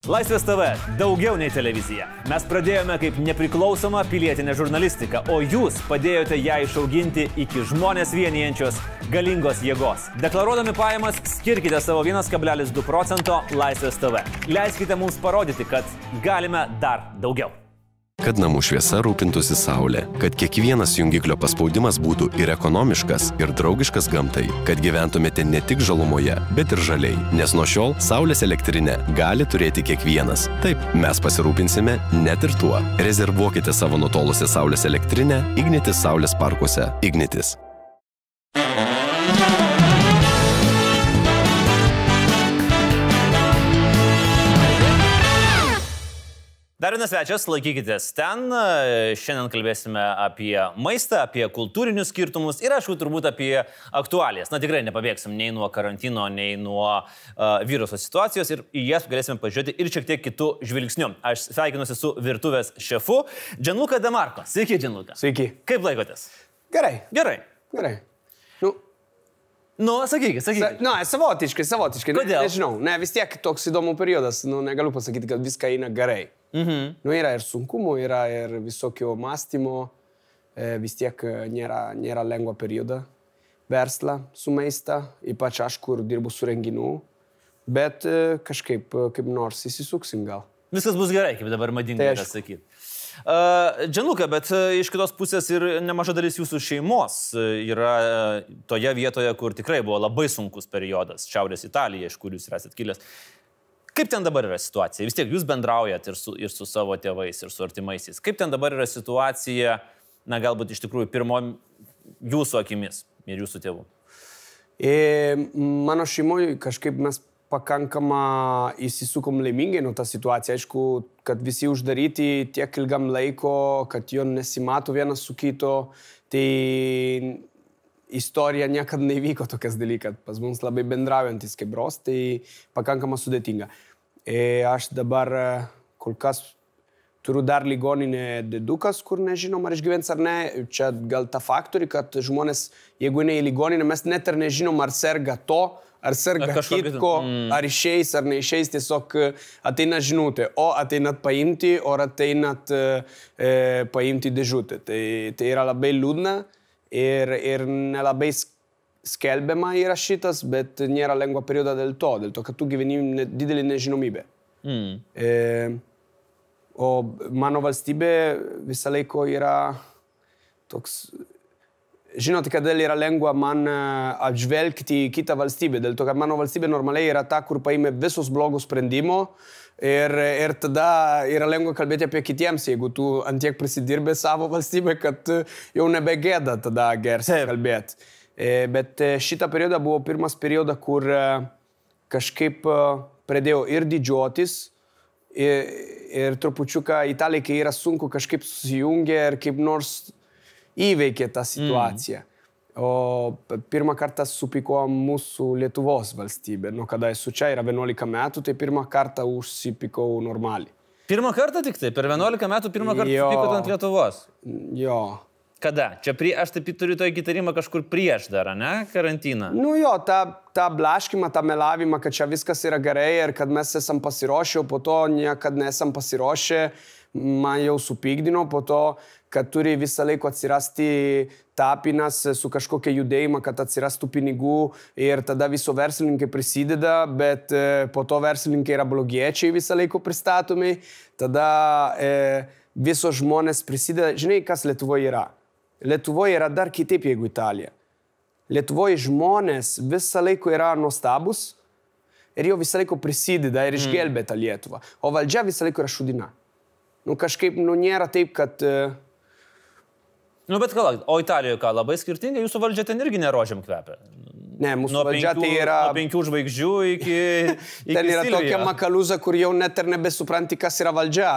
Laisvės TV – daugiau nei televizija. Mes pradėjome kaip nepriklausoma pilietinė žurnalistika, o jūs padėjote ją išauginti iki žmonės vienijančios galingos jėgos. Deklaruodami pajamas, skirkite savo 1,2% Laisvės TV. Leiskite mums parodyti, kad galime dar daugiau. Kad namų šviesa rūpintųsi saulė, kad kiekvienas jungiklio paspaudimas būtų ir ekonomiškas, ir draugiškas gamtai, kad gyventumėte ne tik žalumoje, bet ir žaliai, nes nuo šiol saulės elektrinę gali turėti kiekvienas. Taip, mes pasirūpinsime net ir tuo. Rezervuokite savo nutolusią saulės elektrinę Ignitis saulės parkuose. Ignitis. Dar vienas svečias, laikykitės ten. Šiandien kalbėsime apie maistą, apie kultūrinius skirtumus ir, aišku, turbūt apie aktualijas. Na, tikrai nepabėgsim nei nuo karantino, nei nuo viruso situacijos ir į jas galėsime pažiūrėti ir šiek tiek kitų žvilgsnių. Aš sveikinuosi su virtuvės šefu Gianluca De Marco. Sveiki, Gianluca. Sveiki. Kaip laikotės? Gerai. Gerai. Gerai. Sakykit. Savotiškai. Kodėl? Nežinau, vis tiek toks įdomų periodas, negaliu pasakyti, kad viską eina gerai. Yra ir sunkumų, yra ir visokio mąstymo, vis tiek nėra lengva perioda verslą su maistą, ypač aš, kur dirbu su renginiu, bet kažkaip kaip nors įsisuksim gal. Viskas bus gerai, kaip dabar madinga yra sakyti. Gianluca, bet iš kitos pusės ir nemaža dalis jūsų šeimos yra toje vietoje, kur tikrai buvo labai sunkus periodas, Šiaurės Italija, iš kur jūs esat kilęs. Kaip ten dabar yra situacija? Vis tiek jūs bendraujat ir su savo tėvais, ir su artimaisiais. Kaip ten dabar yra situacija, galbūt iš tikrųjų pirmo jūsų akimis ir jūsų tėvų? Mano šeimoje kažkaip mes pakankamą įsisukom laimingai nuo tą situaciją. Aišku, kad visi uždaryti tiek ilgam laiko, kad jo nesimato vienas su kito, tai istorija niekada nevyko tokias dalykas. Pas mums labai bendraujantis kaip bros, tai pakankamą sudėtinga. Aš dabar kol kas turiu dar ligoninę dėdukas, kur nežinom, ar išgyvens ar ne. Čia gal ta faktorių, kad žmonės, jeigu ne į ligoninę, mes net ir nežinom, ar serga to, ar serga kitko, ar išeis, ar neišeis, tiesiog ateina žinutė. O ateinat paimti, o ateinat paimti dėžutę. Tai yra labai liūdna ir nelabai skelbiama yra šitas, bet nėra lengva perioda dėl to, kad tu gyveni didelį nežinomybę. O mano valstybė visą laiko yra toks... Žinote, kodėl yra lengva man atžvelgti į kitą valstybę, dėl to, kad mano valstybė normaliai yra ta, kur paėmė visus blogus sprendimų ir tada yra lengva kalbėti apie kitiems, jeigu tu antiek prisidirbė savo valstybę, kad jau nebegėda tada gersi kalbėti. Bet šitą periodą buvo pirmas periodas, kur kažkaip pradėjau ir didžiuotis, ir trupučiuką Italija, kai yra sunku, kažkaip susijungia ir kaip nors įveikė tą situaciją. O pirmą kartą supyko mūsų Lietuvos valstybė. Nuo kada esu čia, yra 11 metų, tai pirmą kartą užsipykau normaliai. Pirmą kartą tik tai? Per 11 metų pirmą kartą supykot ant Lietuvos? Jo. Kada? Čia aš taip turiu to įtarimą kažkur prieš dar, ne? Karantiną. Ta blaškimą, tą melavimą, kad čia viskas yra gerai ir kad mes esam pasiruošę, o po to niekad nesam pasiruošę, man jau supykdino, po to, kad turi visą laiką atsirasti tapinas su kažkokia judėjimą, kad atsirastų pinigų ir tada viso verslininkai prisideda, bet po to verslininkai yra blogiečiai visą laiką pristatomi, tada visos žmonės prisideda. Žinai, kas Lietuvoje yra? Lietuvoje yra dar kitaip, jeigu Italija. Lietuvoje žmonės visą laiką yra nuostabus ir jau visą laiką prisideda ir išgelbė tą Lietuvą. O valdžia visą laiką yra šudina. Kažkaip, nėra taip, kad... Bet o Italijoje ką, labai skirtingai? Jūsų valdžia ten irgi nerožėm kvepia. Ne, mūsų valdžia tai yra... Nuo 5 žvaigždžių iki ten yra tokia makaliuza, kur jau net ir nebesupranti, kas yra valdžia.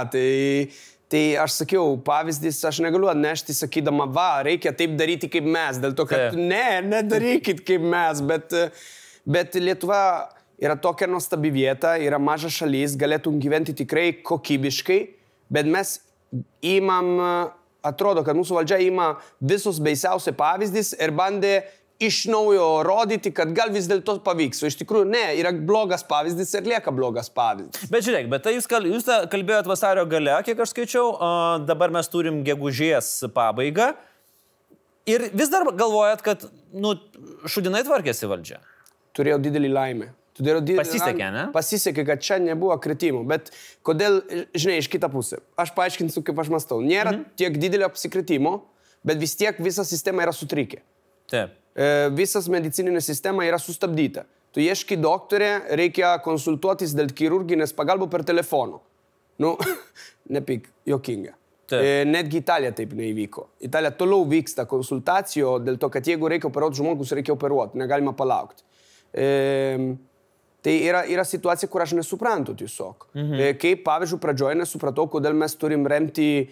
Tai aš sakiau, pavyzdys, aš negaliu atnešti, sakydama, reikia taip daryti kaip mes. Dėl to, kad nedarykit kaip mes. Bet Lietuva yra tokia nuostabi vieta, yra maža šalis, galėtum gyventi tikrai kokybiškai, bet mes imam... Atrodo, kad mūsų valdžia ima visus baisiausiai pavyzdys ir bandė iš naujo rodyti, kad gal vis dėlto pavyks. O iš tikrųjų, ne, yra blogas pavyzdys ir lieka blogas pavyzdys. Bet žiūrėk, bet tai jūs kalbėjot vasario gale, kiek aš skaičiau, dabar mes turim gegužės pabaigą ir vis dar galvojat, kad, šudinai tvarkėsi valdžia. Turėjau didelį laimę. Pasisekė, ne? Pasisekė, kad čia nebuvo kritimų, bet kodėl, žinai, iš kitą pusę. Aš paaiškinsiu, kaip aš mąstau. Nėra tiek didelio apsikritimo, bet vis tiek visa sistema yra sutrikę. Taip. Visas medicininė sistema yra sustabdyta. Tu ieški doktorė, reikia konsultuotis dėl chirurginės pagalbos per telefoną. Nepyk, jokinga. Netgi Italija taip neįvyko. Italija toliau vyksta konsultacijų dėl to, kad jeigu reikia operuoti žmogus, reikia operuoti, negalima palaukti. Tai yra situacija, kur aš nesuprantu tiesiog. Kaip, pavyzdžiui, pradžioje nesupratau, kodėl mes turim remti,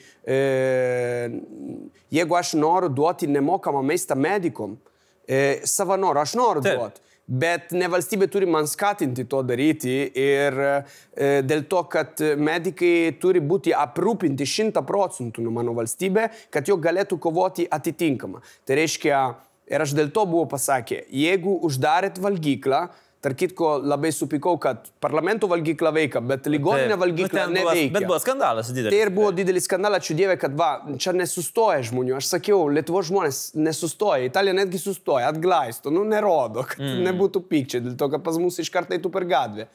jeigu aš noriu duoti nemokamą maistą medikom, savanorių, aš noriu duoti. Bet ne valstybė turi man skatinti to daryti ir dėl to, kad medikai turi būti aprūpinti 100% nuo mano valstybė, kad jo galėtų kovoti atitinkamą. Tai reiškia, ir aš dėl to buvau pasakė, jeigu uždarėt valgyklą, tarp kitko labai supykau, kad parlamento valgykla veikia, bet ligoninė valgykla neveikia. Bet buvo skandalas didelis. Tai ir buvo didelis skandalas, ačiū Dievui, kad čia nesustoja žmonių. Aš sakiau, Lietuvos žmonės nesustoja, Italija netgi sustoja, atglaisto, nerodo, kad nebūtų pykčiai, dėl to, kad pas mus iš karto eitų per gatvę.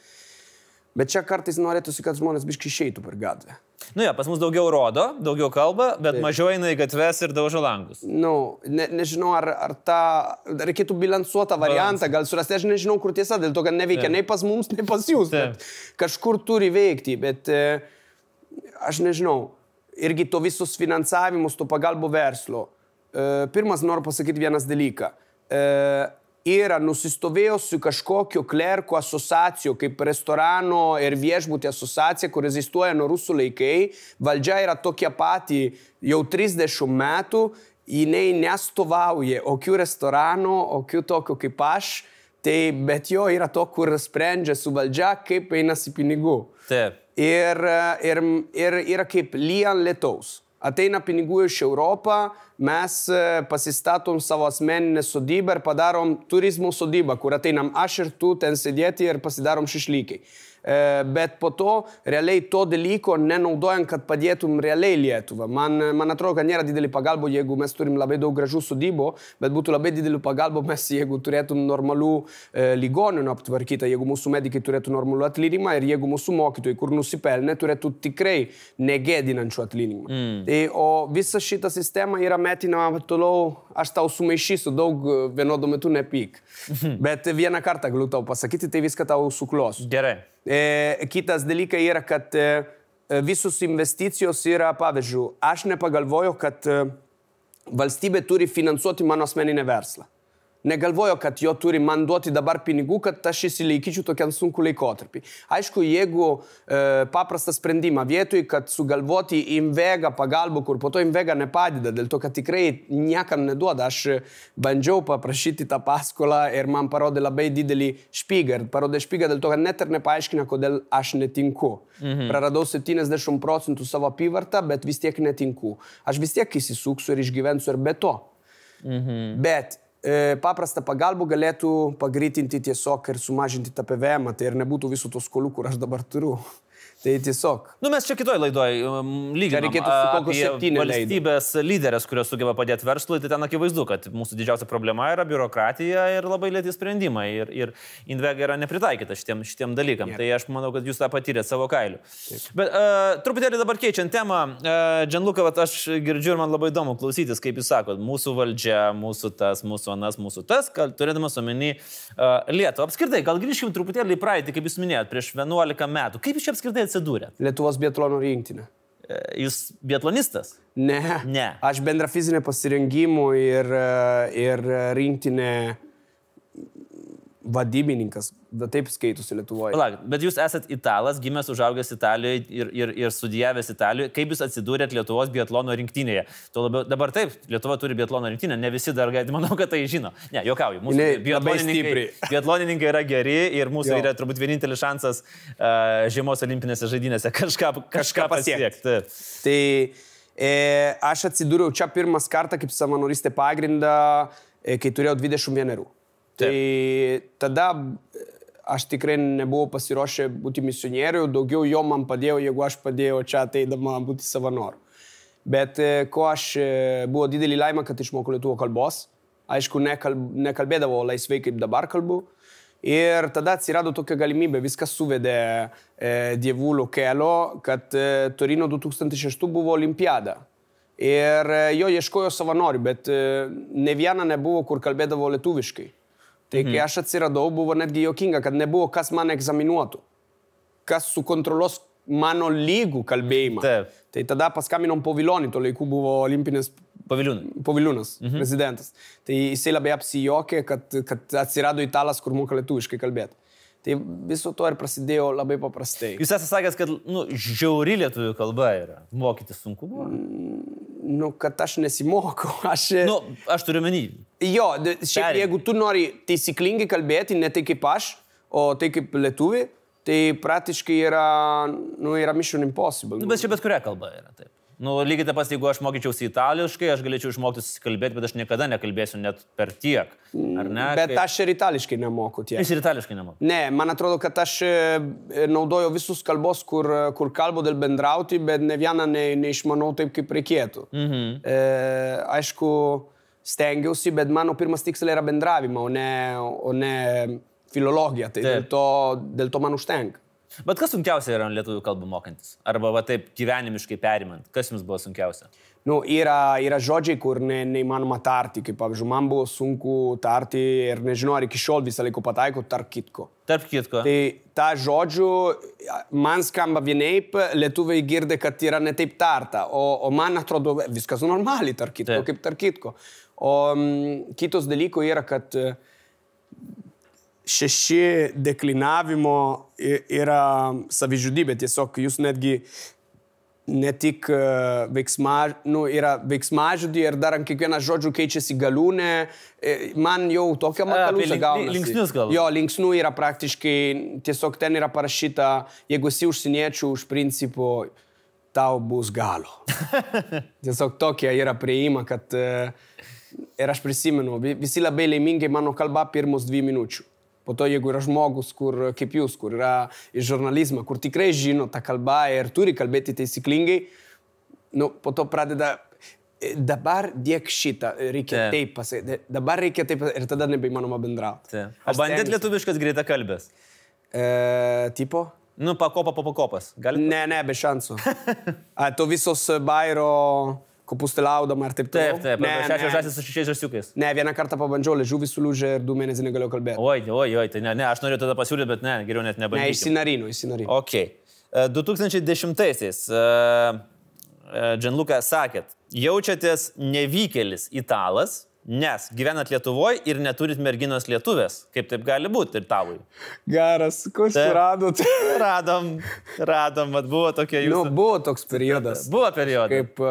Bet čia kartais norėtųsi, kad žmonės biškai išeitų per gatvę. Pas mus daugiau rodo, daugiau kalba, bet mažiau eina į gatves ir daužo langus. Nežinau, ar tą reikėtų bilansuotą variantą, gal surasti, aš nežinau, kur tiesa, dėl to, kad neveikia nei pas mums, nei pas jūs, bet kažkur turi veikti, bet aš nežinau, irgi to visus finansavimus, to pagalbo verslo. Pirmas noriu pasakyti vienas dalyką. Yra nusistovėjusi kažkokio klerkų asociacijų, kaip restorano ir viešbutė asociacija, kur egzistuoja nuo rusų laikai. Valdžia yra tokia pati jau 30 metų, jinai nestovauja jokių restoranų, jokių tokių kaip aš, bet jo yra to, kur sprendžia su valdžia, kaip einasi pinigų. Taip. Ir yra kaip lyjant lietaus. Ateina pinigų iš Europą, mes pasistatom savo asmeninę sodybą ir padarom turizmo sodybą, kur ateinam aš ir tu ten sėdėti ir pasidarom šešlykai. Bet po to realiai to dalyko nenaudojant, kad padėtum realiai Lietuvą. Man atrodo, kad nėra didelį pagalbą, jeigu mes turim labai daug gražių sodybų, bet būtų labai didelį pagalbą mes, jeigu turėtum normalių ligoninių aptvarkytą, jeigu mūsų medikai turėtų normalų atlyginimą ir jeigu mūsų mokytojai, kur nusipelnė, turėtų tikrai negėdinančių atlyginimą. O visa šita sistema yra metinama toliau, aš tau sumaišysiu daug vienodu metu nepyk. Bet vieną kartą galiu tau pasakyti, tai viską tau suklos. Gerai. Kitas dalykas yra, kad visus investicijos yra, pavyzdžiui, aš nepagalvoju, kad valstybė turi finansuoti mano asmeninę verslą. Negalvoju, kad jo turi man duoti dabar pinigų, kad aš įsilaikyčiau tokiam sunku laikotarpį. Aišku, jeigu paprastą sprendimą vietoj, kad sugalvoti Invega pagalbą, kur po to Invega nepadeda, dėl to, kad tikrai niekam neduoda. Aš bandžiau paprašyti tą paskolą ir man parodė labai didelį špygą. Ir parodė špygą dėl to, kad net ir nepaaiškina, kodėl aš netinku. Praradau 70% savo apyvartą, bet vis tiek netinku. Aš vis tiek įsisuksiu ir išgyvensiu ir be to. Bet paprastą pagalbą galėtų pagreitinti tiesiog ir sumažinti tą PVM, tai ir nebūtų visų tų skolų, kur aš dabar turiu. Tai tiesiog. Mes čia kitoj laidoj lyginam apie valstybės lyderės, kurios sugeba padėti verslui, tai ten akivaizdu, kad mūsų didžiausia problema yra biurokratija ir labai lėti sprendimai. Ir Invega yra nepritaikyta šitiem dalykam. Tai aš manau, kad jūs tą patyrėt savo kailiu. Bet truputėlį dabar keičiant temą, Gianluca, aš girdžiu ir man labai įdomu klausytis, kaip jūs sakot, mūsų valdžia, mūsų tas, mūsų anas, mūsų tas, turėdamas omeny Lietuvą. Apskritai, gal grįžkim truputėlį į praeitį, kaip jūs minėjot, prieš 11 metų. Kaip jūs čia apskritai atsidūrėt? Lietuvos biatlono rinktinė. Jūs biatlonistas? Ne. Aš bendra fizinė pasirengimų ir rinktinė vadybininkas, taip skaitosi Lietuvoje. Bet jūs esat italas, gimęs, užaugęs Italijoje ir studijavęs Italijoje. Kaip jūs atsidūrėt Lietuvos biatlono rinktinėje? Dabar taip, Lietuva turi biatlono rinktinę, ne visi dar, manau, kad tai žino. Ne, juokauju, mūsų biatlonininkai yra geri ir mūsų yra turbūt vienintelis šansas žiemos olimpinėse žaidynėse kažką pasiekti. Tai aš atsidūriau čia pirmas kartą kaip savanoristė pagrindą kai turėjau 21. Tai tada aš tikrai nebuvau pasiruošę būti misionieriu, daugiau jo man padėjo, jeigu aš padėjau čia ateidama būti savanoriu. Bet ko aš buvo didelį laimę, kad išmokau lietuvių kalbos. Aišku, nekalbėdavo laisvai, kaip dabar kalbu. Ir tada atsirado tokia galimybė, viskas suvedė Dievulio kelio, kad Torino 2006 buvo olimpiada. Ir jo ieškojo savanorių, bet ne viena nebuvo, kur kalbėdavo lietuviškai. Tai kai aš atsiradau, buvo netgi juokinga, kad nebuvo kas man egzaminuotų. Kas sukontroliuos mano lygų kalbėjimą. Taip. Tai tada paskaminom Povilionį, to laikų buvo olimpinis Poviliūnas, prezidentas. Tai jisai labai apsijokė, kad atsirado italas, kur moka lietuviškai kalbėti. Tai viso to ir prasidėjo labai paprastai. Jūs esate sakęs, kad žiauri lietuvių kalba yra. Mokytis sunku buvo? Kad aš nesimokau. Aš turiu menį. Jo, šiaip jeigu tu nori taisyklingai kalbėti, ne tai kaip aš, o tai kaip lietuvi, tai praktiškai yra mission impossible. Bet čia bet kuria kalba yra taip. Lygiai taip pat, jeigu aš mokyčiausi itališkai, aš galėčiau išmokti susikalbėti, bet aš niekada nekalbėsiu net per tiek. Ar ne? Bet aš ir itališkai nemoku tiek. Jūs ir itališkai nemoku? Ne, man atrodo, kad aš naudoju visus kalbos, kur kalbu dėl bendrauti, bet ne vieną neišmanau taip, kaip reikėtų. Aišku, stengiausi, bet mano pirmas tikslas yra bendravimą, o ne filologija. Tai dėl to man užtenka. Bet kas sunkiausia yra lietuvių kalbą mokantis? Arba taip gyvenimiškai perimant? Kas jums buvo sunkiausia? Yra žodžiai, kur neįmanoma tarti. Kaip, pavyzdžiui, man buvo sunku tarti ir nežinau, ar iki šiol visą laiką pataiko tarp kitko. Tarp kitko. Tai tą žodžių man skamba vienaip, lietuviai girdi, kad yra ne taip tarta. O man atrodo viskas normaliai tarp kitko, kaip tarp kitko. O kitos dalyko yra, kad 6 deklinavimo yra savižudybė. Tiesiog jūs netgi ne tik yra veiksmažodį ir dar ant kiekvieną žodžių keičiasi galūnė. Man jau tokia makalusa gaunasi. Linksnius gal? Jo, linksnių yra praktiškai, tiesiog ten yra parašyta, jeigu esi užsieniečių, už principo tau bus galo. Tiesiog tokia yra prieima, kad ir aš prisimenu, visi labai laimingai mano kalba pirmus 2 minučių. Po to, jeigu yra žmogus, kaip jūs, kur yra iš žurnalizmo, kur tikrai žino tą kalbą ir turi kalbėti taisyklingai, po to pradeda, dabar dėk šitą, reikia taip pasakyti, dabar reikia taip pasakyti ir tada nebeįmanoma bendrauti. O bandėt lietuviškas greitakalbės? Tipo? Pakopa po pakopas. Ne, be šansų. To visos Bairo... kopustelaudama ir taip toliau. Taip, 6 žąsis su 6 žąsiukais. Ne, vieną kartą pabandžiau, liežuvį sulūžė ir 2 mėnesius negalėjau kalbėti. Oi, tai ne, aš norėjau tada pasiūlyti, bet ne, geriau net nebandyti. Ne, išsinarino. Ok. 2010-aisiais Gianluca sakėt, jaučiatės nevykėlis italas, nes gyvenat Lietuvoje ir neturit merginos lietuvės. Kaip taip gali būti ir tavui? Geras, ko suradot? Radom, bet buvo tokia jūsų... Buvo toks periodas. Buvo periodas. Kaip,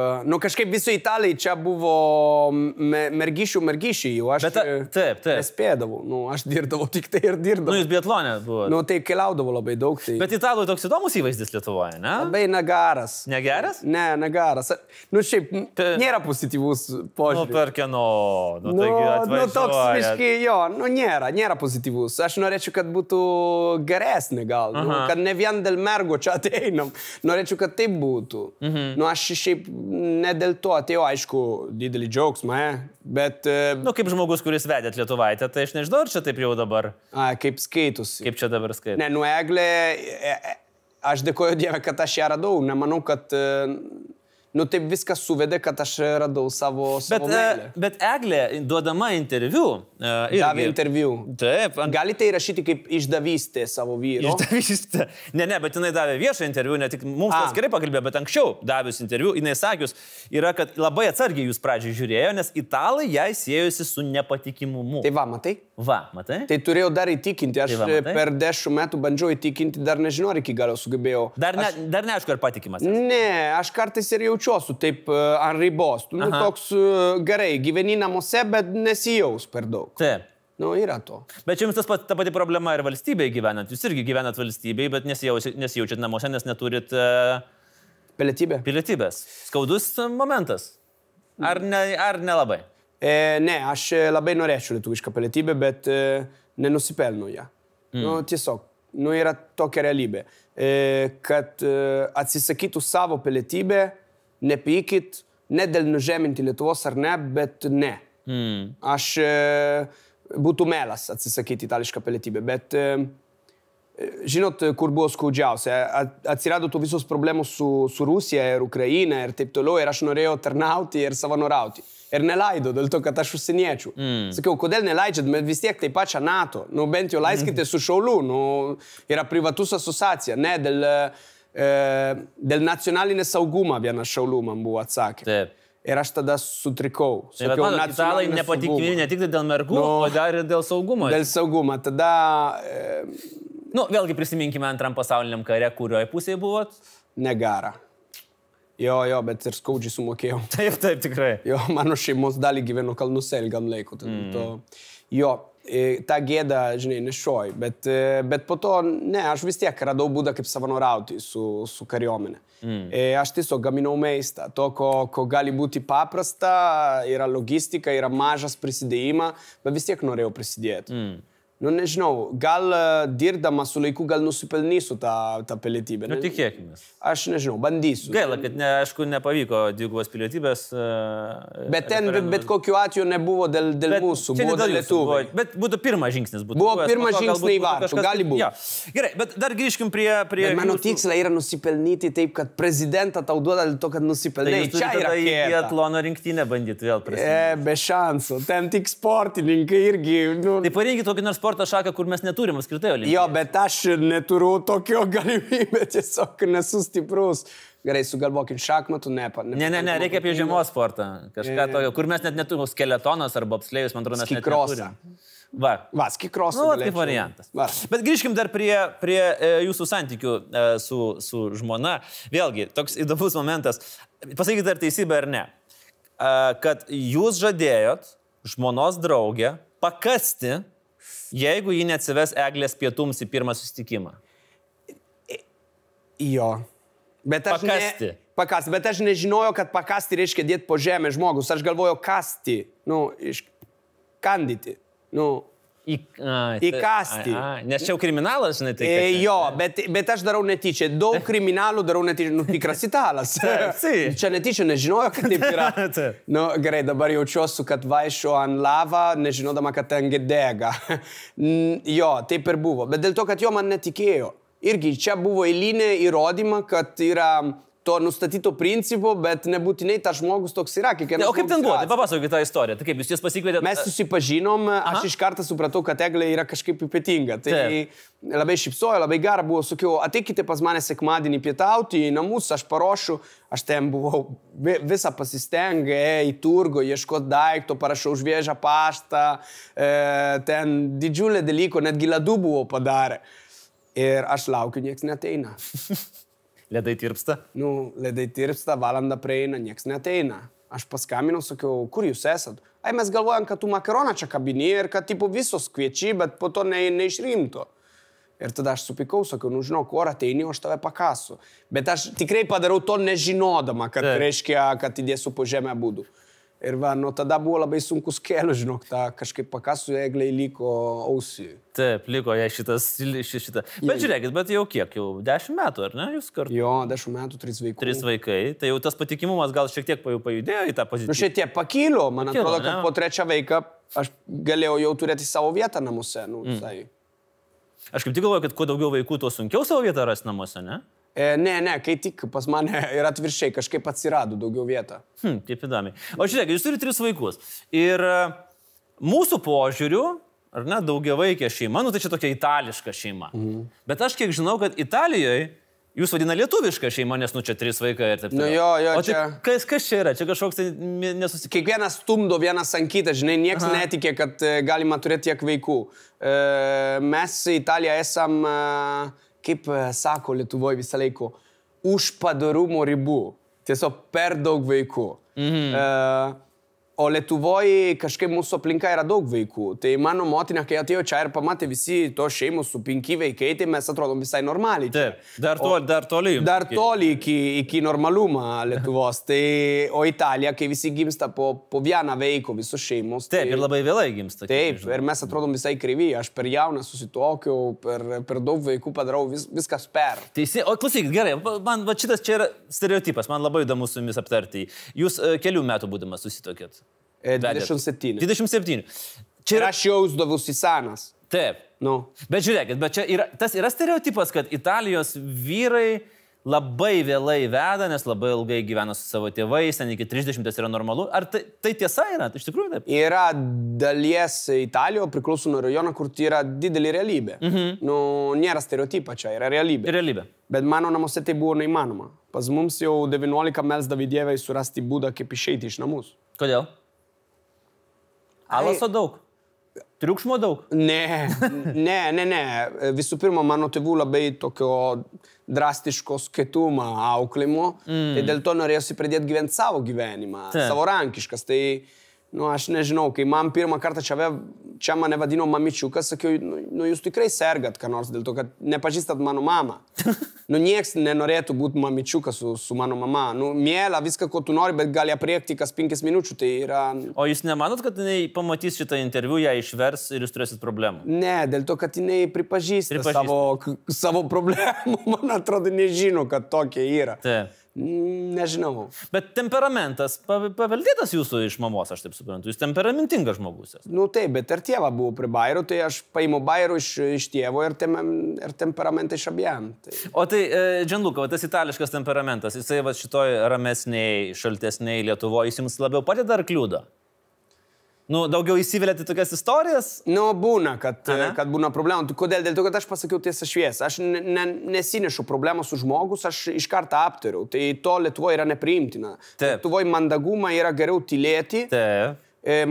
kažkaip visi italai čia buvo mergišiai, jau aš nespėdavau. Aš dirbdavau tik tai ir dirbdavau. Jūs biatlone buvo. Tai keliaudavau labai daug. Tai... Bet italui toks įdomus įvaizdis Lietuvoje, ne? Labai negaras. Negeras? Ne, negaras. Šiaip nėra pozityvus požiūris. Per kieno... toks viškai, jo, nėra pozityvus. Aš norėčiau, kad būtų geresnė gal, kad ne vien dėl mergo čia ateinam. Norėčiau, kad taip būtų. Aš šiaip ne dėl to atėjau, aišku, didelį džiaugsmą, bet... Kaip žmogus, kuris vedėt Lietuvaitę, tai aš nežinau, ar čia taip jau dabar... Kaip skaitusi. Kaip čia dabar skaitusi. Ne, Eglė, aš dėkoju Dievui, kad aš ją radau. Nemanau, kad... taip viskas suvedė, kad aš radau savo meilę. Bet Eglė, duodama interviu... Davė interviu. Taip. Galite įrašyti kaip išdavystė savo vyro? Išdavystė. Ne, bet jinai davė viešą interviu, ne tik mums tas gerai pakalbėjo, bet anksčiau davius interviu, jinai sakius, yra, kad labai atsargiai jūs pradžiai žiūrėjo, nes italai jai siejosi su nepatikimumu. Tai matai? Matai? Tai turėjau dar įtikinti. Aš per 10 metų bandžiau įtikinti, dar nežinau, ar iki galo sugebėjau. Dar neaišku, ar patikimas. Ne, aš kartais ir jaučiuosi taip ant ribos. Toks gerai, gyveni namuose, bet nesijaus per daug. Taip. Yra to. Bet čia jums ta pati problema ir valstybėje gyvenant. Jūs irgi gyvenat valstybėje, bet nesijaučiat namuose, nes neturit... Pilietybės. Skaudus momentas. Ar nelabai? Ne, aš labai norėčiau lietuvišką pilietybę, bet nenusipelnu ją. Tiesiog, yra tokia realybė, kad atsisakytų savo pilietybę, nepykit, ne dėl nužeminti Lietuvos ar ne, bet ne. Aš būtų melas atsisakyti itališką pilietybę, bet žinot, kur buvo skaudžiausia, atsirado tų visos problemos su Rusija ir Ukraina ir taip toliau, ir aš norėjau tarnauti ir savanorauti. Ir neleido, dėl to, kad aš užsieniečių. Sakiau, kodėl neleidžiat, bet vis tiek taip pačią NATO. Bent jau leiskite su šauliu, yra privatus asociacija, ne, dėl nacionalinės saugumą vienas šaulių man buvo atsakė. Taip. Ir aš tada sutrikau. Sakiau, italai nepatikimi ne tik dėl mergų, o dar ir dėl saugumo. Dėl saugumo. Tada... Vėlgi prisiminkime Antram pasauliniam kare, kurioje pusėje buvot? Negara. Jo, bet ir skaudžiai sumokėjau. Taip, tikrai. Jo, mano šeimos dalį gyveno Kalnuose ilgam laiku. Jo, tą gėdą, žinai, nešioju. Bet po to, ne, aš vis tiek radau būdą kaip savanorauti su kariuomenė. Aš tiesiog gaminau maistą. To, ko gali būti paprasta, yra logistika, yra mažas prisidėjimą, bet vis tiek norėjau prisidėti. Nežinau, gal dirbdama su laiku gal nusipelnysiu tą pilietybę. Tikėkime. Aš nežinau, bandysiu. Gaila, kad aišku nepavyko dvigubos pilietybės. Bet ten bet kokiu atveju nebuvo dėl mūsų, buvo dėl lietuvių. Bet būtų pirmas žingsnis. Buvo pirmas žingsnis į vartų, gali būti. Ja. Gerai, bet dar grįžkim prie mano tikslas yra nusipelnyti taip, kad prezidentą tau duoda dėl to, kad nusipelnai. Tai čia yra į biatlono rinktinę bandyti vėl prisimti. Be šansų, ten tik sportininkai irgi. Tai pareikia tokį nors sporto šaką, kur mes neturim apskritai olimpiadų. Jo, bet aš neturiu tokio galimybę, tiesiog nesu stiprus. Gerai, sugalvokim šachmatų, Ne, reikia apie žiemos sportą. Kažką tokio, kur mes net neturim skeletonas arba bobslėjus, man atrodo, mes net neturim. Va, skikrosą. Kaip variantas. Bet grįžkim dar prie jūsų santykių su žmona. Vėlgi, toks įdomus momentas. Pasakykite, ar teisybė ar ne. Kad jūs žadėjot žmonos draugę pakasti, jeigu ji neatsives Eglės pietums į pirmą susitikimą. Jo. Pakasti. Bet aš nežinojau, kad pakasti reiškia dėti po žemę žmogus. Aš galvojau kasti. Kandyti. Įkasti. Nes čia jau kriminalas, žinai, tai. Jo, bet aš darau netyčia. Daug kriminalų darau netyčia. Tikras italas. Čia netyčia nežinojau, kad taip yra. Gerai, dabar jaučiuosi, kad vaikščiu ant lavą, nežinodama, kad ten dega. Jo, taip ir buvo. Bet dėl to, kad jo man netikėjo. Irgi čia buvo eilinė įrodyma, kad yra to nustatyto principo, bet nebūtinai tas žmogus toks yra. O kaip ten buvo? Tai papasakokite tą istoriją. Tai kaip jūs pasikvietėte? Mes susipažinom, aš iš karto supratau, kad Eglė yra kažkaip ypatinga. Tai labai šypsojo, labai gera buvo. Sakiau, ateikite pas mane sekmadienį pietauti į namus, aš paruošiu. Aš ten buvau visą pasistengę, į turgų, ieškoti daikto, parašau už Vėžą paštą. Ten didžiulė dalyko, netgi ledų buvo padarę. Ir aš laukiu, nieks neteina. Ledai tirpsta? Ledai tirpsta, valanda praeina, nieks neteina. Aš paskambinau, sakiau, kur jūs esat? Mes galvojam, kad tu makaroną čia kabini ir kad tipo visos kviečiai, bet po to neišrimto. Ir tada aš supikau, sakiau, žinau, kur ateini, aš tave pakasu. Bet aš tikrai padarau to nežinodama, kad reiškia, kad įdėsiu po žemę būdų. Ir tada buvo labai sunkus kelių, žinok, kažkaip pakasų Eglei liko ausį. Taip, liko jai šitą. Bet žiūrėkit, bet jau kiek, jau 10 metų, ar ne, jūs kartu? Jo, 10 metų, 3 vaikų. 3 vaikai, tai jau tas patikimumas gal šiek tiek pajudėjo į tą poziciją. Šiek tiek pakilo, man atrodo, kad po 3 vaiką aš galėjau jau turėti savo vietą namuose. Aš kaip tik galvoju, kad kuo daugiau vaikų, tuo sunkiau savo vietą rasti namuose, ne? Ne, kai tik pas mane ir atviršiai kažkaip atsirado daugiau vietą. Taip įdomiai. O žiūrėk, jūs turite 3 vaikus. Ir mūsų požiūriu, ar ne, daugiavaikė šeima, tai čia tokia itališka šeima. Bet aš kiek žinau, kad Italijoje jūs vadina lietuviška šeima, nes čia 3 vaikai ir taip toliau. Jo, o čia... Kas čia yra? Čia kažkoks nesusikimas. Kiekvienas stumdo vienas ant kitą, žinai, nieks netikė, kad galima turėti tiek vaikų. Mes Italija esam... kaip sako Lietuvoje visą laiką, už padarumo ribų. Tiesiog per daug vaikų. O Lietuvoje kažkaip mūsų aplinka yra daug vaikų. Tai mano motina, kai atėjo čia ir pamatė visi to šeimos su 5 vaikai, tai mes atrodom visai normaliai. Taip, dar toli jums. Dar toli iki normalumą Lietuvos. Tai, o Italija, kai visi gimsta po vieną vaiką visos šeimos. Taip, ir labai vėlai gimsta. Taip, ir mes atrodom visai kryvy. Aš per jauną susitokiau, per daug vaikų padarau viskas per. Teisė, o klausykit, gerai, man šitas čia yra stereotipas, man labai įdomu su jumis aptarti. Jūs kelių metų būdamas susitokėt? 27. 27. Ir aš jausdavausi senas. Taip. Nu. Bet žiūrėkit, tas yra stereotipas, kad Italijos vyrai labai vėlai veda, nes labai ilgai gyvena su savo tėvais, ten iki 30 yra normalu. Ar tai tiesa yra? Iš tikrųjų taip? Yra dalies Italijoje, priklauso nuo rajono, kur tai yra didelė realybė. Nu, nėra stereotipa čia, yra realybė. Realybė. Bet mano namuose tai buvo neįmanoma. Pas mums jau 19 melsdavė Dievai surasti būdą, kaip išeiti iš namus. Kodėl? Alaso daug. Triukšmo daug. Ne. Visų pirma, mano tėvų labai tokio drastiško skietumo auklėjimo. Tai dėl to norėjusi pradėti gyventi savo gyvenimą, savarankiškas. Tai, aš nežinau, kai man pirmą kartą čia mane vadino mamičiukas, sakiau, jūs tikrai sergat ką nors dėl to, kad nepažįstat mano mamą. Nieks nenorėtų būti mamičiukas su mano mama. Mėla viską, ko tu nori, bet gali apriekti kas 5 minučių. Tai yra... O jūs nemanot, kad jinai pamatys šitą interviu, ją išvers ir jūs turėsit problemų? Ne, dėl to, kad jinai pripažįsta savo problemų. Man atrodo, nežino, kad tokie yra. Taip. Nežinau. Bet temperamentas paveldėtas jūsų iš mamos, aš taip suprantu. Jūs temperamentingas žmogus. Taip, bet ir tėva buvo prie bairų, tai aš paimu bairų iš tėvo ir temperamentą iš abiem. Tai. O tai, Gianluca, tas itališkas temperamentas, jisai šitoj ramesniai, šaltesniai Lietuvoje, jis jums labiau padeda ar kliūda? Daugiau įsivelėte tokias istorijas? Būna, kad būna problemų. Kodėl? Dėl to, kad aš pasakiau tiesą šviesą. Aš nesinešu problemą su žmogus, aš iš karto aptariau. Tai to Lietuvoje yra nepriimtina. Lietuvoje mandagumą yra geriau tylėti. Taip.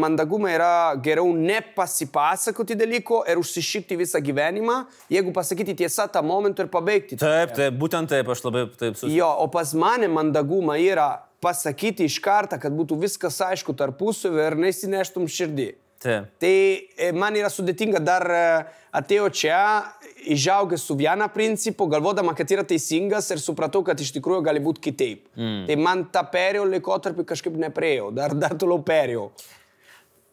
Mandagumą yra geriau nepasipasakoti dalyko ir užsišikti visą gyvenimą, jeigu pasakyti tiesą tą momentą ir pabaigti. Taip, būtent taip, aš labai taip susitinku. Jo, o pas mane mandagumą yra pasakyti iš karto, kad būtų viskas aišku tarpusavy ir nesineštum širdį. Taip. Tai man yra sudėtinga, dar atėjau čia, išaugęs su vieną principu, galvodama, kad yra teisingas ir supratau, kad iš tikrųjų gali būti kitaip. Tai man tą perėjau laikotarpį kažkaip neprėjau, dar toliau perėjau.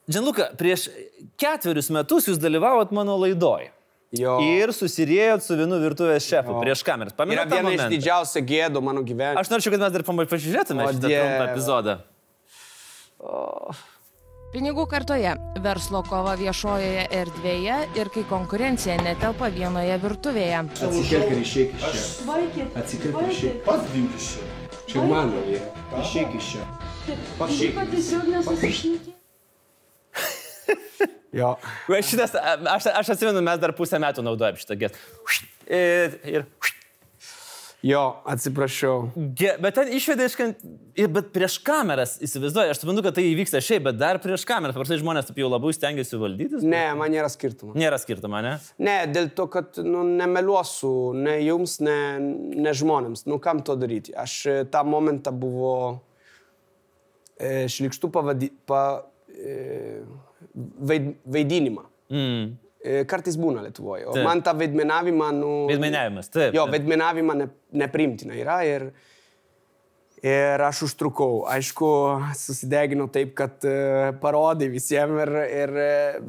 Gianluca, prieš 4 metus jūs dalyvavot mano laidoj. Jo. Ir susiriejot su vienu virtuvės šefu prieš kameras. Yra viena iš didžiausių gėdų mano gyvenime. Aš norėčiau, kad mes dar pasižiūrėtume šitą trumpą epizodą. Pinigų kartoje, verslo kova viešojoje erdvėje ir kai konkurencija netelpa vienoje virtuvėje. Atsikirk ir išeik iš čia. Atsikirk ir išeik. Pats dink iš čia. Čia mano yra. Išeik iš čia. Išeik. Jo. Aš atsimenu, mes dar pusę metų naudojam šitą gestą. Ir... Jo, atsiprašau. Bet ten išvedė bet prieš kameras, įsivaizduoju, aš suprantu, kad tai įvyksta šiaip, bet dar prieš kameras, paprastai žmonės taip jau labai stengiasi valdytis. Ne, man nėra skirtumo. Nėra skirtumo, ne? Ne, dėl to, kad nemeluosiu, ne jums, ne žmonėms. Kam to daryti? Aš tą momentą buvo šlikštų vaidinimą. Kartais būna Lietuvoje. O man tą vaidmenavimą... Vaidmenavimas, taip. Jo, vaidmenavimą nepriimtina yra ir aš užtrukau. Aišku, susideginau taip, kad parodai visiems,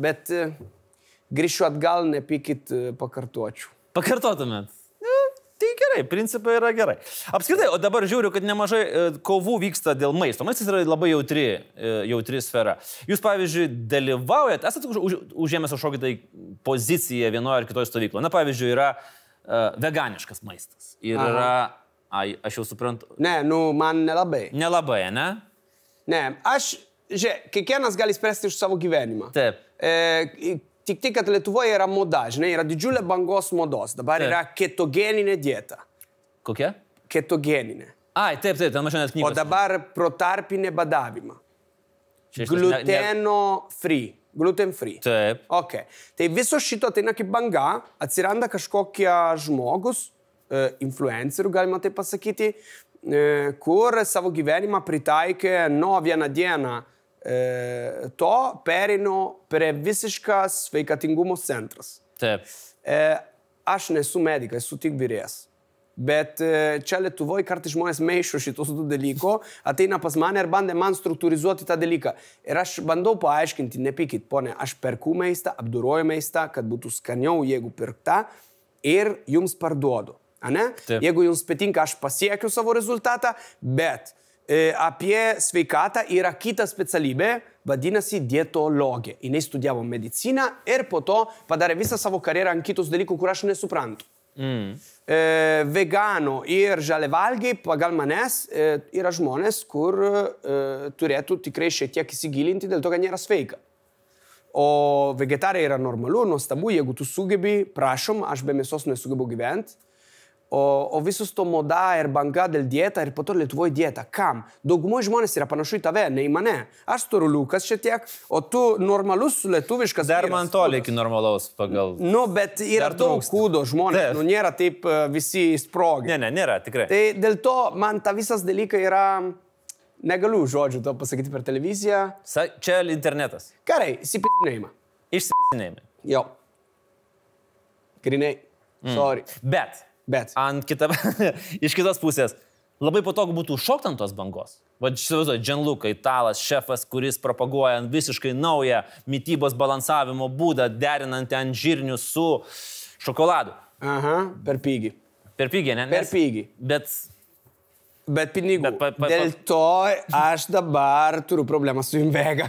bet grįšiu atgal, nepykit, pakartočiau. Pakartotumėt? Tai gerai, principai yra gerai. Apskritai, o dabar žiūriu, kad nemažai kovų vyksta dėl maisto. Maistas yra labai jautri sfera. Jūs, pavyzdžiui, dalyvaujat, esate užėmęs kažkokią tai poziciją vienoje ar kitoje stovykloje. Na, pavyzdžiui, yra veganiškas maistas. Ir yra, aš jau suprantu. Ne, man nelabai. Nelabai, ne? Ne, kiekvienas gali spręsti už savo gyvenimą. Taip. Tik tai, kad Lietuvoje yra moda, žinai, yra didžiulė bangos modos. Dabar yra ketogeninė dieta. Kokia? Ketogeninė. Ai, taip, ten mačiau net knygos. O dabar protarpinė badavimą. Gluten free. Taip. Ok. Tai viso šito ateina kaip banga, atsiranda kažkokie žmogus, influencerių, galima taip pasakyti, kur savo gyvenimą pritaikė vieną dieną to pereinu prie visiškas sveikatingumo centras. Taip. Aš nesu medikas, esu tik vyrėjas. Bet čia Lietuvoje kartais žmonės maišo šitos du dalyko, ateina pas mane ir bandė man struktūrizuoti tą dalyką. Ir aš bandau paaiškinti, nepykit, ponė, aš perku maistą, apdoroju maistą, kad būtų skaniau, jeigu pirkta, ir jums parduodu. Ane? Jeigu jums patinka, aš pasiekiu savo rezultatą, bet apie sveikatą yra kita specialybė, vadinasi dietologė. Jis studijavo mediciną ir po to padarė visą savo karjerą ant kitus dalykų, kur aš nesuprantu. Vegano ir žaliavalgiai pagal manęs yra žmonės, kur turėtų tikrai šiek tiek įsigilinti, dėl to, kad nėra sveika. O vegetarai yra normalu, nuostabu, jeigu tu sugebi, prašom, aš be mėsos nesugebu gyventi. O visus to moda ir banga dėl dieta ir po to Lietuvoje dieta. Kam? Daugumoje žmonės yra panašu į tave, ne į mane. Aš turiu liukas šiek tiek, o tu normalus lietuviškas. Dar man toli iki normalaus pagal. Bet yra daug kūdo žmonės, nėra taip visi sprogę. Ne, nėra, tikrai. Tai dėl to man ta visas dalykai yra, negaliu žodžių to pasakyti per televiziją. Čia internetas. Gerai, įsipisinėjimą. Išsipisinėjimą. Jo. Grinai. Sorry. Bet. Iš kitos pusės, labai patogu būtų šokti ant tos bangos. Vadžiuoju, Gianluca, italas, šefas, kuris propaguoja visiškai naują mitybos balansavimo būdą, derinant ant žirnių su šokoladu. Aha, per pigiai. Per pigiai, ne? Per pigiai. Bet pinigų. Dėl to aš dabar turiu problemą su Invega.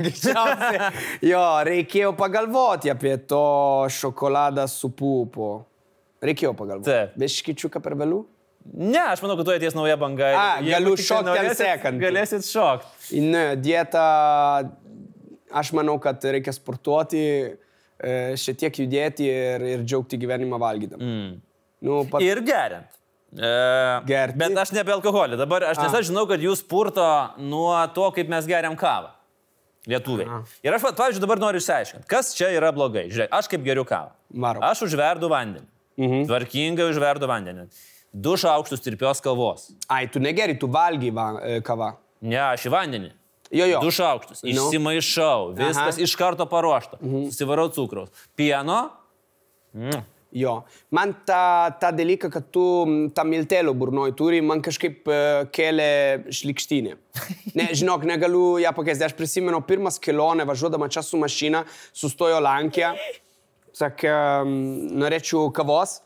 Jo, reikėjo pagalvoti apie to šokoladą su pupu. Reikėjo pagalvoti. Beškičiuką per vėlių? Ne, aš manau, kad tu atės nauja banga. Galiu šokti ant sekant. Galėsit šokti. Ne, dieta, aš manau, kad reikia sportuoti, šiek tiek judėti ir džiaugti gyvenimą valgydam. Ir geriant. Gerti. Bet aš ne apie alkoholį. Dabar aš tiesiog žinau, kad jūs purto nuo to, kaip mes geriam kavą. Lietuviai. Ir aš, pavyzdžiui, dabar noriu išsiaiškinti, kas čia yra blogai. Žiūrėk, aš kaip geriu kavą. Aš užverdu vandenį. Tvarkingai užverdu vandenį. 2 šaukštus tirpios kavos. Ai, tu negeri, tu valgy kavą. Ne, aš į vandenį. Jo. 2 šaukštus. Išsimaišau. Viskas iš karto paruošta. Susivarau cukraus. Pieno. Jo. Man tą dalyką, kad tu tą miltelio burnoj turi, man kažkaip kėlė šlikštinė. Ne, žinok, negaliu ją pakeisti. Aš prisimenu pirmas kelionę, važiuodama čia su mašina, sustojo Lenkija. Sakė, norėčiau kavos.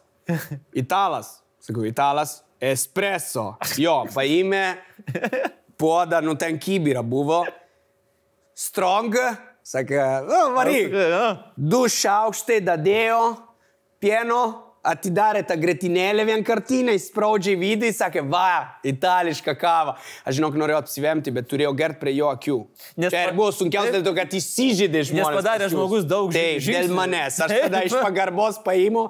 Italas. Sakau, italas. Espresso. Jo, paėmė puodą, ten kibirą buvo. Strong. Sakė, varyk. 2 šaukštai dadėjo. Pieno. Atidarė tą gretinėlę vienkartinę, įspraudžia į vidų, sakė, va, itališka kava. Aš žinok, norėjau apsivemti, bet turėjau gert prie jo akių. Tai buvo sunkiausia dėl to, kad įsižydė žmonės. Nes padarė žmogus daug žingsnių. Taip, dėl manęs. Aš tada iš pagarbos paimu,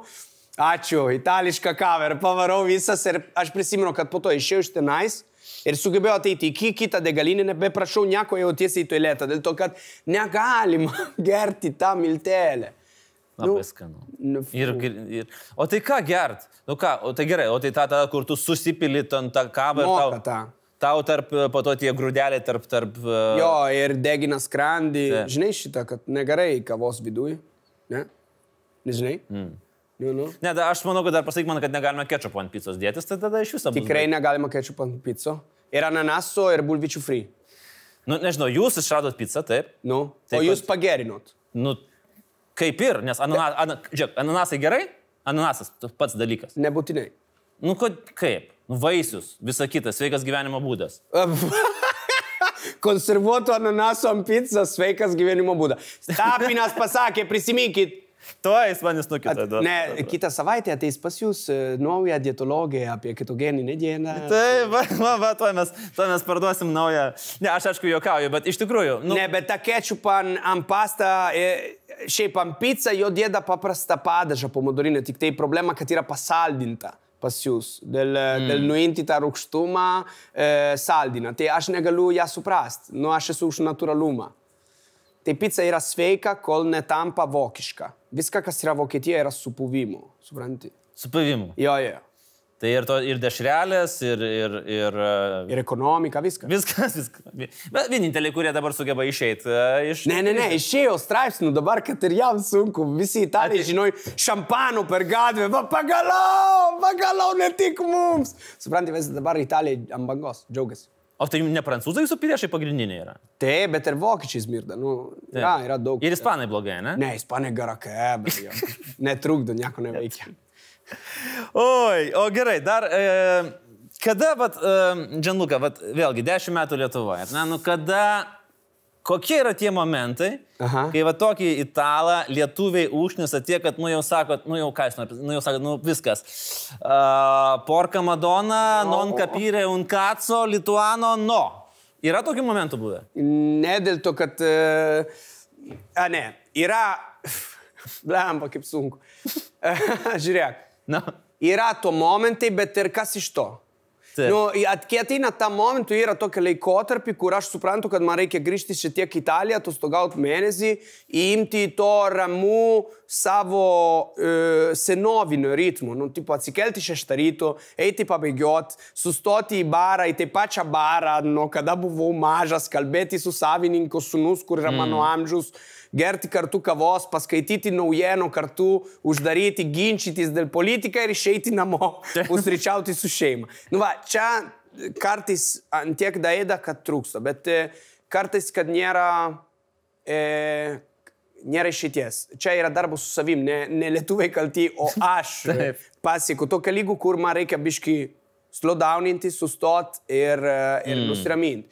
ačiū, itališka kava ir pavarau visas. Ir aš prisimenu, kad po to išėjau iš tenais ir sugebėjau ateiti į kitą degalinę, nebeprašau nieko, jau tiesiai į tualetą, dėl to, kad negalima gerti tą miltelę. Labai skanu. O tai ką gert? O tai gerai, o tai ta, kur tu susipili ant tą kavą ir tau po to tie grūdeliai tarp... Jo, ir degina skrandį. Žinai šitą, kad negerai kavos viduj? Ne? Nežinai? Ne, aš manau, kad dar pasakyk man, kad negalima kečupo ant picos dėtis, tai tada iš viso bus. Tikrai negalima kečupo ant pico. Ir ananaso, ir bulvyčių free. Nežinau, jūs išradot pizzą, taip? O jūs pagerinot. Kaip ir, nes ananasai gerai, ananasas pats dalykas. Nebūtinai. Kaip? Vaisius, visa kita, sveikas gyvenimo būdas. Konservuotų ananasų ant pizzas, sveikas gyvenimo būdas. Tapinas pasakė, prisiminkit. Tuoj jis manis nukita. Ne, kitą savaitę ateis pas jūs naują dietologiją apie ketogeninę dieną. Taip, tuoj mes parduosim naują. Ne, aš aišku juokauju, bet iš tikrųjų... Ne, bet tą kečupą ant pastą, šiaip ant pizzą jo dėda paprastą padažą pomodorinę, tik tai problema, kad yra pasaldinta pas jūs. Dėl nuimti tą rūgštumą saldina. Tai aš negaliu ją suprasti. Aš esu už natūralumą. Tai pizza yra sveika, kol netampa vokiška. Viską, kas yra Vokietija, yra su puvimu. Supranti? Su puvimu? Jo. Tai ir dešrelės, ir ekonomika, viskas. Viskas. Bet vieninteliai, kurie dabar sugeba išeiti iš... Ne, išėjo straipsnių dabar, kad ir jam sunku. Visi Italijai, žinoj, šampanų per gatvę. Va, pagalau, ne tik mums. Supranti, visi dabar Italijai ant bangos, džiaugiasi. O tai ne prancūzai jūsų priešai pagrindiniai yra? Taip, bet ir vokiečiai smirda. Yra daug. Ir ispanai blogai, ne? Ne, ispanai garake, bet jo. Netrukdo, nieko neveikia. Oi, o gerai, dar, kada, Gianluca, vėlgi, 10 metų Lietuvoje, kokie yra tie momentai, kai tokį italą lietuviai užknisa tiek, kad, jau sakot, viskas. Porca Madonna, non capire un cazzo, lituano, no. Yra tokių momentų buvę? Ne, dėl to, kad... yra... Blemba, kaip sunku. Žiūrėk. Yra to momentai, bet ir kas iš to? Kai ateina tą momentų, yra tokia laikotarpį, kur aš suprantu, kad man reikia grįžti šiek tiek į Italiją, atostogauti mėnesį, įimti to ramų savo senovinio ritmo. Tipo atsikelti 6 ryto, eiti pabėgioti, sustoti į barą, į tą pačią barą, nuo kada buvau mažas, kalbėti su savininko sūnus, kur yra mano amžius, gerti kartu kavos, paskaityti naujienų kartu, uždaryti, ginčytis dėl politiką ir išeiti namo, pusryčiauti su šeima. Čia kartais antiek daėda, kad trūksta, bet kartais, kad nėra išeities. Čia yra darbas su savim, ne lietuviai kalti, o aš pasieku tokio lygų, kur man reikia biški slowdowninti, sustot ir nusiraminti.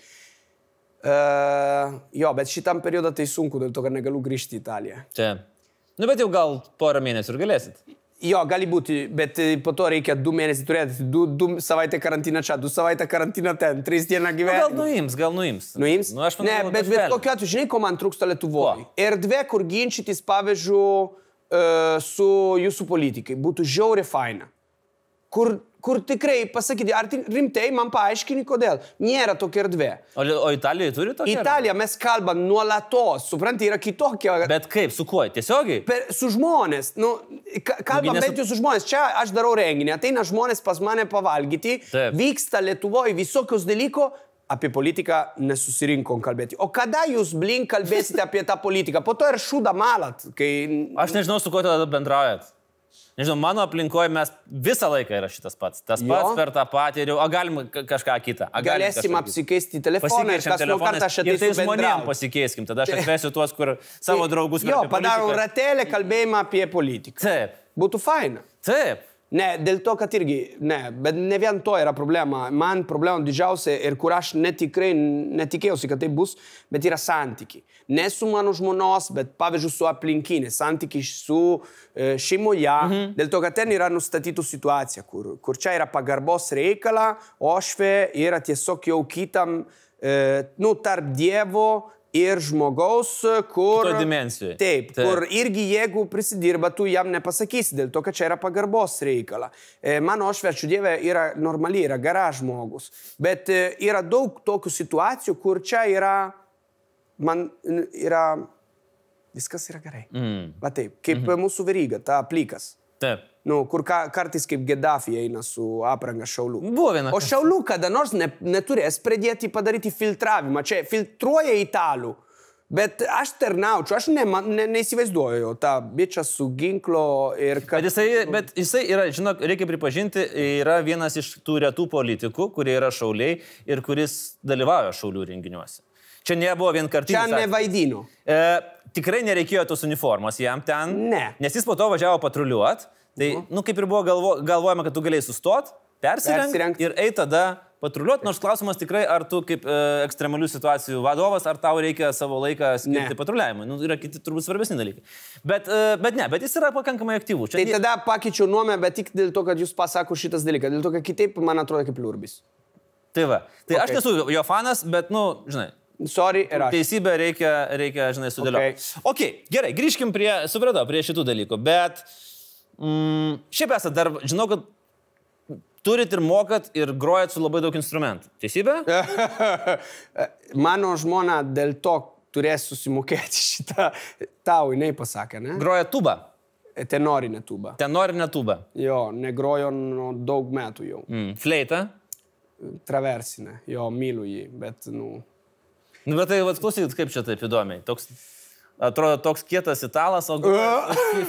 Bet šitam periodą tai sunku, dėl to, kad negaliu grįžti į Italiją. Taip. Bet jau gal porą mėnesių ir galėsit. Gali būti, bet po to reikia 2 mėnesių turėti, 2 savaitę karantiną čia, 2 savaitę karantiną ten, 3 dieną gyvenimą. Gal nuims. Nuims? Ne, bet kokiu atveju, žinai, ko man trūksta Lietuvoje? Erdvė, kur ginčytis, pavyzdžiui, su jūsų politikai, būtų žiauriai faina. Kur tikrai pasakyti, ar rimtai man paaiškini, kodėl. Nėra tokia erdvė. O Italijoje turi tokia erdvė? Italija mes kalbam nuolatos, supranti, yra kitokia. Bet kaip, su kuo? Tiesiogiai? Su žmonės. Kalbam bent jau su žmonės. Čia aš darau renginį, ateina žmonės pas mane pavalgyti, vyksta Lietuvoje visokius dalyko, apie politiką nesusirinkom kalbėti. O kada jūs, kalbėsite apie tą politiką? Po to ir šūdą malat. Aš nežinau, su kuo tada bendraujat. Nežinau, mano aplinkoje mes visą laiką yra šitas pats. Tas pats per tą patį, o galim kažką kitą. Galėsim apsikeisti telefoną ir kas nuo kartą aš ateisiu bendrauti. Ir tai žmonėm pasikeiskim, tada aš atvesiu tuos, kur savo draugus... Padarau ratelę kalbėjimą apie politiką. Taip. Būtų faina. Taip. Ne, dėl to, kad irgi, bet ne vien to yra problema. Man problema didžiausia ir kur aš netikėjausi, kad tai bus, bet yra santykiai. Ne su mano žmonos, bet pavyzdžiui su aplinkinė, santykiai su šeimoje. Dėl to, kad ten yra nustatytų situacija, kur čia yra pagarbos reikala, ošvė yra tiesiog jau kitam, tarp Dievo ir žmogaus, kur... Kito dimensijai. Taip, kur irgi jeigu prisidirba, tu jam nepasakysi, dėl to, kad čia yra pagarbos reikala. Mano ošverčių Dieve yra normali, yra gera žmogus. Bet yra daug tokių situacijų, kur čia yra... Viskas yra gerai. Va taip, kaip mūsų Veryga, ta plikas. Taip. Kur kartais kaip Gaddafi eina su apranga šaulių. Buvo viena. O šaulių kada nors neturės pradėti padaryti filtravimą. Čia filtruoja italų. Bet aš tarnaučiau, aš neįsivaizduoju tą bičą su ginklo ir... Bet jisai yra, žinok, reikia pripažinti, yra vienas iš tų retų politikų, kurie yra šauliai ir kuris dalyvauja šaulių renginiuose. Čia nebuvo vienkartinis. Čia nevaidino. Tikrai nereikėjo tos uniformos jam ten. Ne. Nes jis po to važiavo patruliuot. Tai, kaip ir buvo galvojama, kad tu galėjai sustot, persirengt ir eiti tada patruliuot. Nors klausimas tikrai, ar tu kaip ekstremalių situacijų vadovas, ar tau reikia savo laiką skirti patruliavimui. Yra kiti turbūt svarbesni dalykai. Bet jis yra pakankamai aktyvus. Tai tada pakeičiau nuomonę, bet tik dėl to, kad jūs pasako šitas dalykas. Dėl to, kad kitaip man atrodo kaip liurbis. Tai va. Tai aš nesu jo fanas, bet, žinai. Sorry, ir aš. Teisybę reikia, žinai, sudėlioti. Okay, gerai, grįžkim prie šitų dalykų, bet šiaip esate dar, žinau, kad turit ir mokat ir grojat su labai daug instrumentų. Teisybė? Mano žmona dėl to turės susimokėti šitą, tau jinai pasakė, ne? Groja tubą. Tenorinė tūba. Tenorinė tūba. Jo, negrojo nuo daug metų jau. Fleita? Traversinė, jo, myliu jį, bet, Bet tai, klausykit, kaip čia taip įdomiai. Atrodo, toks kietas italas, o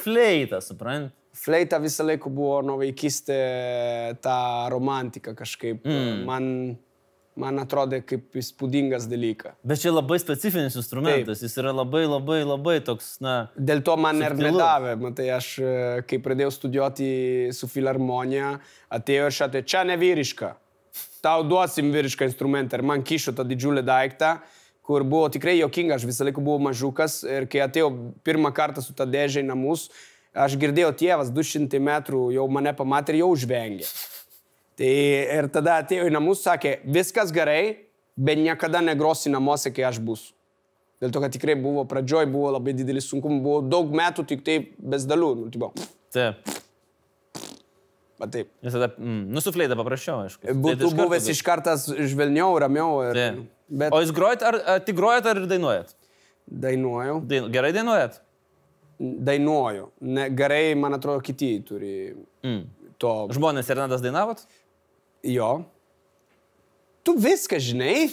fleita, suprant? Fleita visą laiką buvo nuo vaikystė ta romantika kažkaip. Man atrodė kaip įspūdingas dalykas. Bet čia labai specifinis instrumentas, Jis yra labai toks, Dėl to man ir nedavė. Matai, aš, kai pradėjau studijuoti su filharmonija, atėjo ir šatė, čia ne vyriška. Tau duosim vyrišką instrumentą. Ir man kišo tą didžiulį daiktą, kur buvo tikrai jokinga. Aš visą laiką buvau mažukas ir kai atėjau pirmą kartą su tą dėžę į namus, aš girdėjau tėvas 200 metrų, jau mane pamatė ir jau žvengė. Tai ir tada atėjo į namus, sakė, viskas gerai, bet niekada negrosi namuose, kai aš būsiu. Dėl to, kad tikrai buvo pradžioj, buvo labai didelis sunkumų, buvo daug metų tik taip bez dalių. Taip. Bet taip. Ir tada, su fleita paprasčiau, aišku. Būtų buvęs iš kartas žvelniau, ramiau. Bet... O jūs grojat, ar tik grojat, ar dainuojat? Dainuoju. Gerai dainuojat? Dainuoju. Gerai, man atrodo, kiti turi to. Žmonės serenadas dainavot? Jo. Tu viską žinai?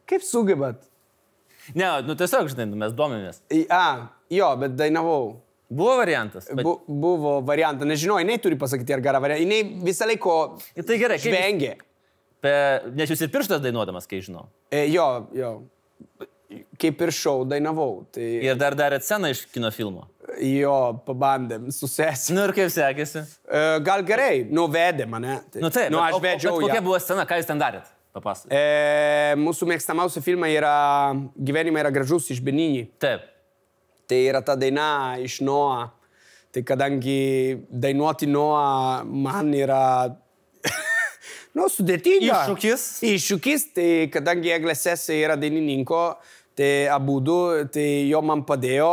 Kaip sugebat? Ne, tiesiog, žinai, mes domimės. Jo, bet dainavau. Buvo variantas? Buvo variantas. Nežinau, jinai turi pasakyti, ar gerą variantą. Jinai visą laiko tai gerai, žvengė. Nes jūs ir pirštas dainuodamas, kai žinau. Jo. Kaip ir šou dainavau. Tai... Ir dar darėt sceną iš kino filmo? Jo, pabandėm su sesė. Ir kaip sekėsi? Gal gerai, vedė mane. Taip, aš vedžiau ją. Kokia buvo scena, ką jūs ten darėt? Papasakok. Mūsų mėgstamiausia filma yra Gyvenimai yra gražus iš Benini. Taip. Tai yra ta daina iš Noa. Tai kadangi dainuoti Noa man yra... sudėtinga. Iššūkis, tai kadangi Eglės sesė yra dainininko, tai abudu, tai jo man padėjo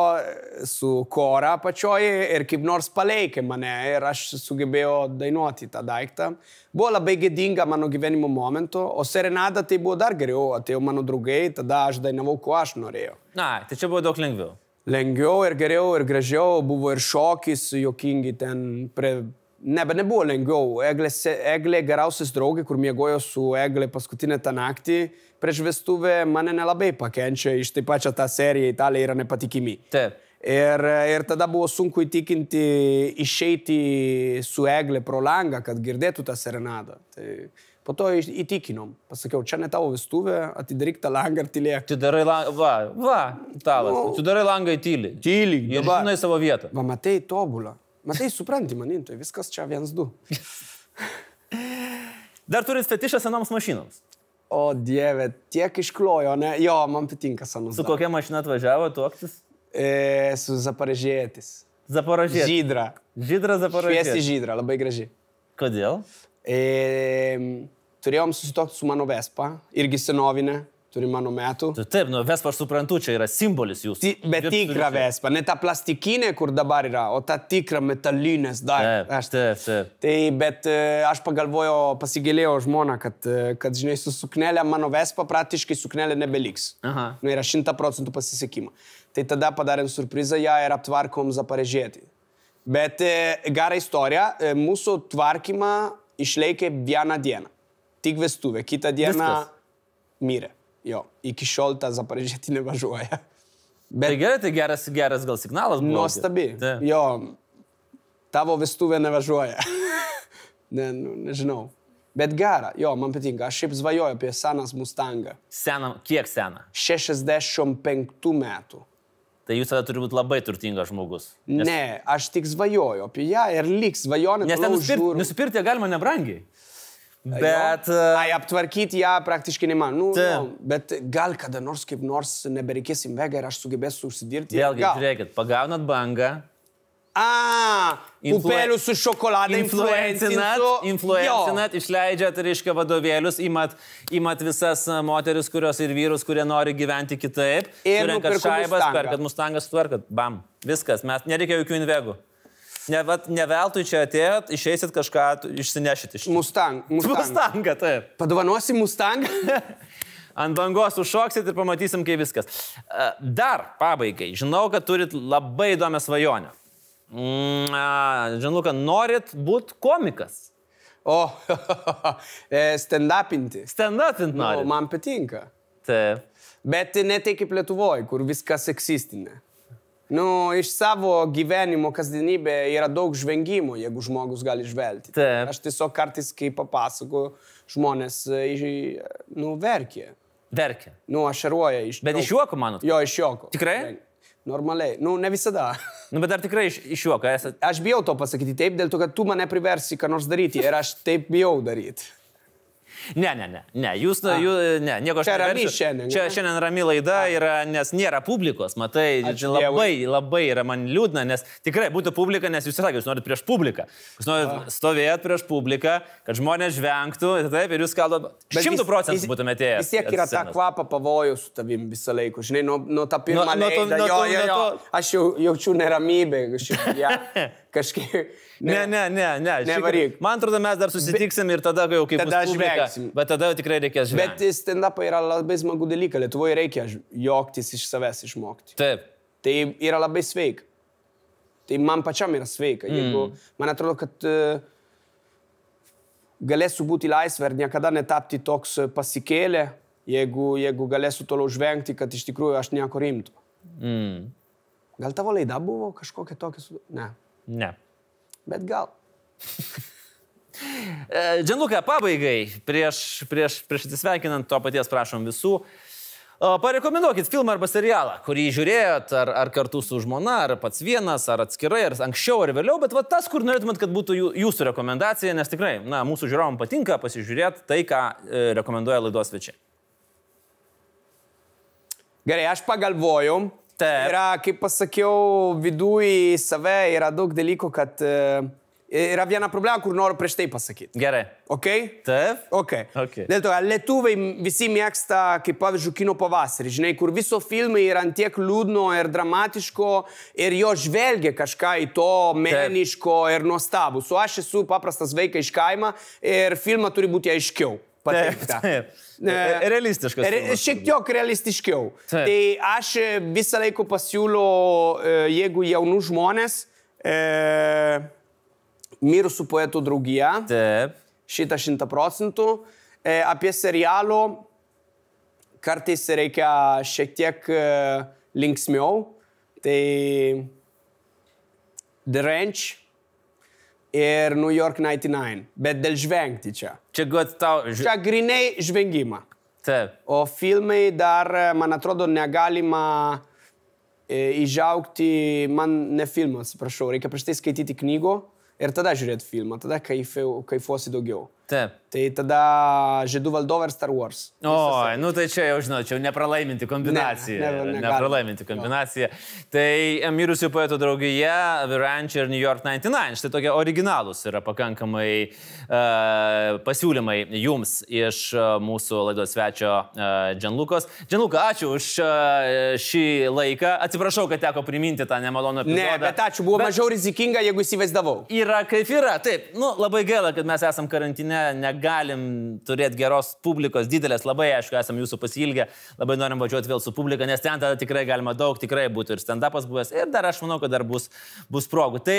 su kora pačioje ir kaip nors palaikė mane ir aš sugebėjau dainuoti tą daiktą. Buvo labai gėdinga mano gyvenimo momentu, o serenada tai buvo dar geriau, atėjo mano draugai, tada aš dainavau, ko aš norėjau. Tai čia buvo daug lengviau. Lengviau ir geriau ir gražiau, buvo ir šokis, jokingi ten prie... Bet nebuvo lengviau. Eglė geriausias draugė, kur miegojo su Eglė paskutinę tą naktį prieš vestuvę, mane nelabai pakenčia iš taip pačią tą seriją Italija yra nepatikimi. Taip. Ir tada buvo sunku įtikinti išeiti su Eglė pro langą, kad girdėtų tą serenadą. Tai po to įtikinom. Pasakiau, čia ne tavo vestuvė, atidaryk tą langą ir tylėk. Tu darai langą, talas. Tu darai langą į tylį. Tyliai. Ir žinai savo vietą. Matai, tobulą. Matai, supranti manim, tai viskas čia 1-2. Dar turit fetišą senoms mašinoms? O Dieve, tiek išklojo, ne? Jo, man patinka senos. Su kokia mašina atvažiavo tuoktis? Su Zaporožėtis. Zaporožėtis? Žydra. Žydra Zaporožėtis. Šviesi žydra, labai graži. Kodėl? Turėjom susitokti su mano Vespa, irgi senovinė. Turi mano metų. Taip, Vespa aš suprantu, čia yra simbolis jūsų. Bet tikra Vespa, ne ta plastikinė, kur dabar yra, o ta tikra metalinės dar. Taip. Tai, bet aš pagalvojau, pasigėlėjau žmoną, kad žinai, su suknelė mano Vespa praktiškai suknelė nebeliks. Yra 100% pasisekimą. Tai tada padarėm surprizą ją ir aptvarkom Zaporožėtį. Bet gera istorija, mūsų tvarkymą išlaikė vieną dieną. Tik vestuvė, kitą dieną mirė. Jo, iki šiol tą Zaporožėtį nevažiuoja. Tai gerai, tai geras gal signalas buvo. Nuostabi. Jo, tavo vestuvė nevažiuoja. Nežinau. Bet gera, jo, man patinka. Aš šiaip svajoju apie senas Mustangą. Kiek seną? 65 metų. Tai jūs tada turi būti labai turtingas žmogus. Ne, aš tik svajoju apie ją ir liks svajonė. Nes nusipirkti galima nebrangiai. Bet... aptvarkyti ją praktiškai neman. Bet gal kada nors kaip nors nebereikės Invega ir aš sugebėsiu užsidirbti. Vėlgi, žiūrėkit, pagaunat bangą. Pupelių su šokolada influencinat, išleidžiat, reiškia, vadovėlius, imat visas moteris, kurios ir vyrus, kurie nori gyventi kitaip. Surenkat šaibas, perkat Mustangą, sutvarkat. Bam. Viskas, nereikia jokių Invegų. Ne veltui čia atėjot, išeisit kažką, išsinešit iš čia. Mustangą, taip. Padovanosi Mustangą? ant bangos užšoksit ir pamatysim, kaip viskas. Dar pabaigai, žinau, kad turit labai įdomią svajonę. Žinau, kad norit būti komikas. O, stand-upinti. Stand-upinti norit. Man patinka. Taip. Bet ne tai kaip Lietuvoje, kur viskas seksistinė. Iš savo gyvenimo kasdienybė yra daug žvengimo, jeigu žmogus gali žvelgti. Taip. Aš tiesiog kartais, kai papasakoju, žmonės, verkia. Verkia. Ašaruoja iš... Bet iš juoko, manot? Jo, iš juoko. Tikrai? Normaliai. Ne visada. Bet ar tikrai iš juoko esate? Aš bijau to pasakyti taip, dėl to, kad tu mane priversi ką nors daryti ir aš taip bijau daryti. Ne, jūs, nieko aš neversiu. Čia šiandien rami laida yra, nes nėra publikos, matai, labai yra man liūdna, nes tikrai būtų publika, nes jūs sakėte, jūs norit prieš publiką. Jūs norit stovėti prieš publiką, kad žmonės žvengtų, taip, ir jūs kalbate 100% būtumėte ėjęs. Vis tiek yra ta kvapa pavojų su tavim visą laiką, žinai, nuo tą pirmą leidą, aš jaučiu neramybę, kažkaip... Ne. Nevaryk. Man atrodo, mes dar susitiksim ir tada jau kaip bus publika. Bet tada tikrai reikės žvengti. Bet stand-up yra labai smagu dalyka. Lietuvoje reikia juoktis iš savęs išmokti. Taip. Tai yra labai sveika. Tai man pačiam yra sveika. Jeigu, man atrodo, kad galėsiu būti laisvė ir niekada netapti toks pasikėlę, jeigu galėsiu toliau žvengti, kad iš tikrųjų aš nieko rimto. Gal tavo laida buvo kažkokia tokia? Ne. Bet gal. Gianluca, pabaigai, prieš atsisveikinant, to paties prašom visų. Parekomenduokit filmą arba serialą, kurį žiūrėjot, ar kartu su žmona, ar pats vienas, ar atskirai, ar anksčiau, ar vėliau, bet tas, kur norėtumėt, kad būtų jūsų rekomendacija, nes tikrai, mūsų žiūrovam patinka pasižiūrėti tai, ką rekomenduoja laidos svečiai. Gerai, aš pagalvojau. Yra, kaip pasakiau, viduje į save yra daug dalykų, kad yra viena problema, kur noriu prieš tai pasakyti. Gerai. Ok? Taip? Ok. Dėl to, lietuviai visi mėgsta, kaip pavyzdžiui, kino pavasarį, žinai, kur viso filmai yra antiek liūdno ir dramatiško ir jo žvelgia kažką į to meniško ir nuostabus. O aš esu paprastas vaikas iš kaimo ir filmą turi būti aiškiau. Taip. Realistiškas. Šiek tiek realistiškiau. Tai aš visą laiką pasiūliu, jeigu jaunų žmonės, Mirusių poetų draugija, šitą 100%, apie serialo kartais reikia šiek tiek linksmiau, tai The Ranch ir New York 99, bet dėl žvengti čia. Čia grinai žvengimą. Taip. O filmai dar, man atrodo, negalima įžaugti, man ne filmą, atsiprašau, reikia prieš tai skaityti knygų ir tada žiūrėti filmą, tada kaifuosi daugiau. Taip. Tai tada Žiedų valdovai ir Star Wars. Oi, tai čia jau žinau, čia nepralaiminti kombinacija. Nepralaiminti kombinacija. Tai Mirusių poetų draugija, The Ranch ir New York 99. Štai tokie originalūs yra pakankamai pasiūlymai jums iš mūsų laidos svečio Gianlucos. Gianluca, ačiū už šį laiką. Atsiprašau, kad teko priminti tą nemalonų epizodą. Ne, bet ačiū, buvo mažiau rizikinga, jeigu įsivaizdavau. Yra kaip yra, taip. Labai gaila, kad mes esam karantine. Negalim turėti geros publikos, didelės, labai aišku, esam jūsų pasilgę, labai norim važiuoti vėl su publika, nes ten tada tikrai galima daug, tikrai būtų ir stand-upas buvęs ir dar aš manau, kad dar bus progų. Tai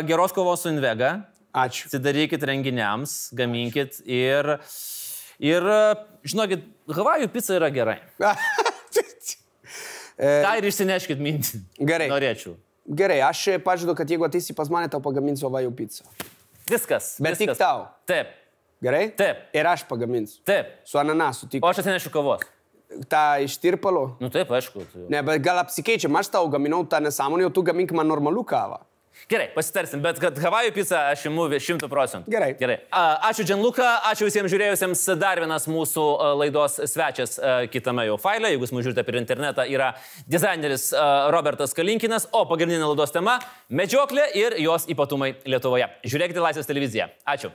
geros kovos su Invega. Ačiū. Atsidarykit renginiams, gaminkit ir žinokit, Havajų pica yra gerai. Tai ir išsineškit mintį. Gerai. Norėčiau. Gerai, aš pažadu, kad jeigu ateisi pas mane, tau pagaminsiu Havajų picą. Viskas. Bet tik tau. Taip. Gerai? Taip. Ir aš pagaminsiu. Taip. Su ananasu. Tik... O aš atsinešiu kavos. Ta iš tirpalo? Taip, aišku. Ne, bet gal apsikeičiam, aš tau gaminau tą nesąmonę, o tu gamink man normalų kavą. Gerai, pasitarsim, bet kad Havajų pica aš imu 100%. Gerai. Ačiū Gianluca, ačiū visiems žiūrėjusiems. Dar vienas mūsų laidos svečias kitame jau faile, jeigu jūs mūsų žiūrite per internetą, yra dizaineris Robertas Kalinkinas, o pagrindinė laidos tema – medžioklė ir jos ypatumai Lietuvoje. Žiūrėkite Laisvės televiziją. Ačiū.